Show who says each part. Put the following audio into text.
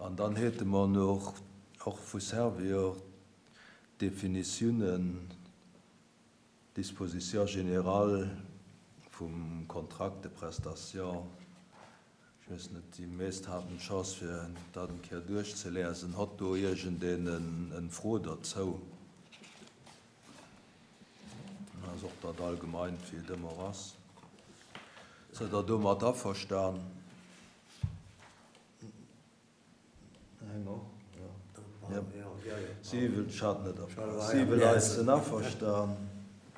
Speaker 1: An dann hätte mer nach och vu Servior d'Definitiounen, d'Dispositions générales vum Contrat de prestation. Ech weess net, déi meest haten d'Chance fir dat eng Kéier duerchzeliesen. Hott do iergendeen en Fro derzou? Ass och dat allgemeint, wéi et ëmmer ass. Sidd Der domat averstan? Eng och? Jo. Siwe, ech hat net opgepasst. Siwe Leit sinn averstan.